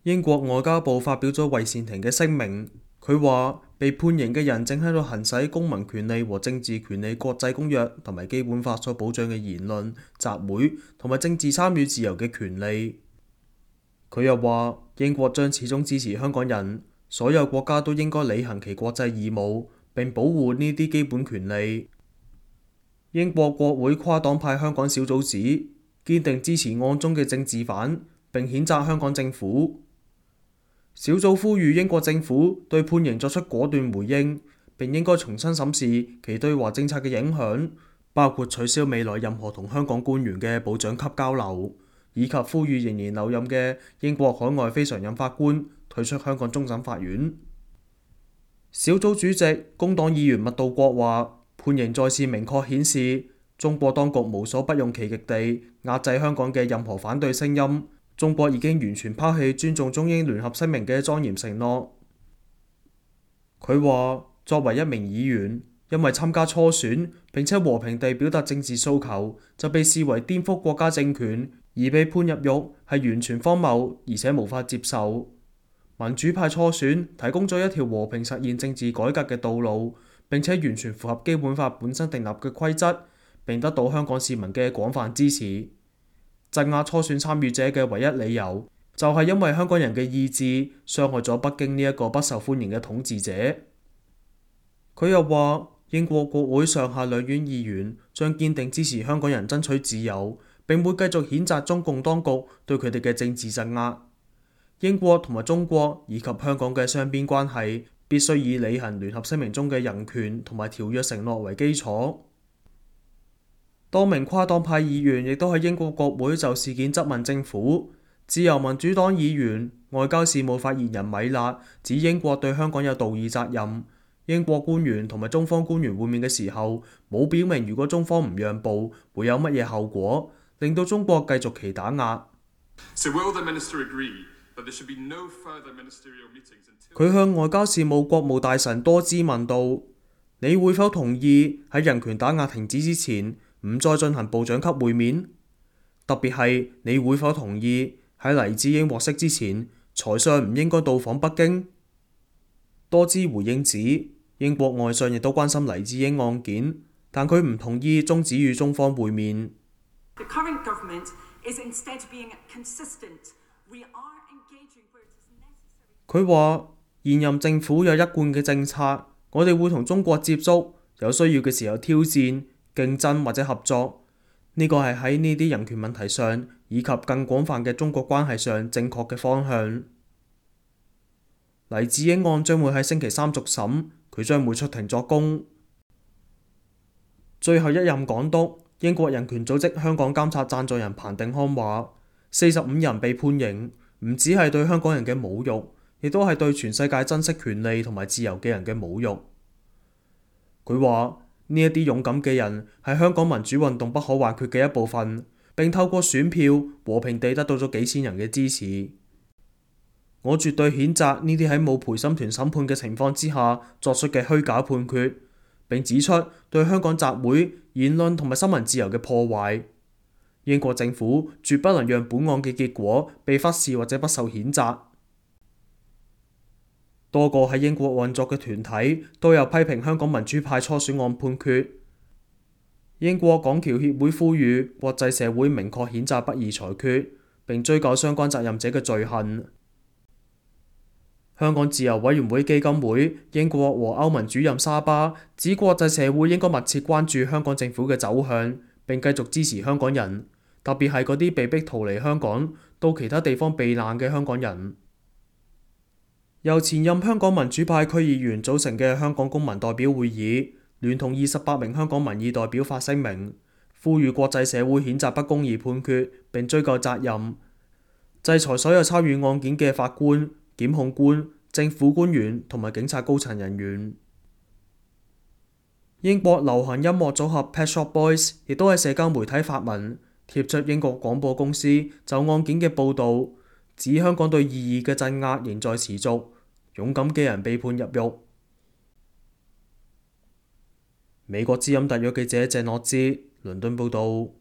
英國外交部發表咗韋善廷嘅聲明，佢話被判刑嘅人正喺度行使公民權利和政治權利國際公約同埋基本法所保障嘅言論、集會同埋政治參與自由嘅權利。佢又話英國將始終支持香港人，所有國家都應該履行其國際義務並保護呢啲基本權利。英國國會跨黨派香港小組指堅定支持案中嘅政治犯，並譴責香港政府。小組呼籲英國政府對判刑作出果斷回應，並應該重新審視其對華政策嘅影響，包括取消未來任何同香港官員嘅部長級交流，以及呼籲仍然留任嘅英國海外非常任法官退出香港終審法院。小組主席工黨議員麥道國話：判刑再次明確顯示，中國當局無所不用其極地壓制香港嘅任何反對聲音。中國已經完全拋棄尊重中英聯合聲明嘅莊嚴承諾。佢話：作為一名議員，因為參加初選並且和平地表達政治訴求，就被視為顛覆國家政權而被判入獄，係完全荒謬而且無法接受。民主派初選提供咗一條和平實現政治改革嘅道路，並且完全符合基本法本身訂立嘅規則，並得到香港市民嘅廣泛支持。鎮壓初選參與者嘅唯一理由，就係因為香港人嘅意志傷害咗北京呢一個不受歡迎嘅統治者。佢又話，英國國會上下兩院議員將堅定支持香港人爭取自由，並會繼續譴責中共當局對佢哋嘅政治鎮壓。英國同埋中國以及香港嘅雙邊關係必須以履行聯合聲明中嘅人權同埋條約承諾為基礎。多名跨黨派議員亦都喺英國國會就事件質問政府。自由民主黨議員、外交事務發言人米勒指英國對香港有道義責任。英國官員同埋中方官員會面嘅時候，冇表明如果中方唔讓步，會有乜嘢後果，令到中國繼續其打壓。佢向外交事務國務大臣多茲問道：你會否同意喺人權打壓停止之前，唔再進行部長級會面？特別係你會否同意喺黎智英獲釋之前，財相唔應該到訪北京？多茲回應指，英國外相亦都關心黎智英案件，但佢唔同意終止與中方會面。佢話現任政府有一貫嘅政策，我哋會同中國接觸，有需要嘅時候挑戰、競爭或者合作。呢個係喺呢啲人權問題上以及更廣泛嘅中國關係上正確嘅方向。黎智英案將會喺星期三續審，佢將會出庭作供。最後一任港督、英國人權組織香港監察贊助人彭定康話：45人被判刑，唔只係對香港人嘅侮辱，亦都係對全世界珍惜權利同埋自由嘅人嘅侮辱。佢話：呢一啲勇敢嘅人係香港民主運動不可或缺嘅一部分，並透過選票和平地得到咗幾千人嘅支持。我絕對譴責呢啲喺冇陪審團審判嘅情況之下作出嘅虛假判決，並指出對香港集會、言論同埋新聞自由嘅破壞。英國政府絕不能讓本案嘅結果被忽視或者不受譴責。多個喺英國運作嘅團體都有批評香港民主派初選案判決。英國港僑協會呼籲國際社會明確譴責不義裁決，並追究相關責任者嘅罪行。香港自由委員會基金會英國和歐盟主任沙巴指，國際社會應該密切關注香港政府嘅走向，並繼續支持香港人，特別係嗰啲被逼逃離香港到其他地方避難嘅香港人。由前任香港民主派區議員組成嘅香港公民代表會議，聯同28名香港民意代表發聲明，呼籲國際社會譴責不公義判決，並追究責任，制裁所有參與案件嘅法官、檢控官、政府官員同埋警察高層人員。英國流行音樂組合 Pet Shop Boys 亦都喺社交媒體發文，貼出英國廣播公司就案件嘅報導，指香港對異議嘅鎮壓仍在持續，勇敢嘅人被判入獄。美國之音特約記者鄭樂之倫敦報導。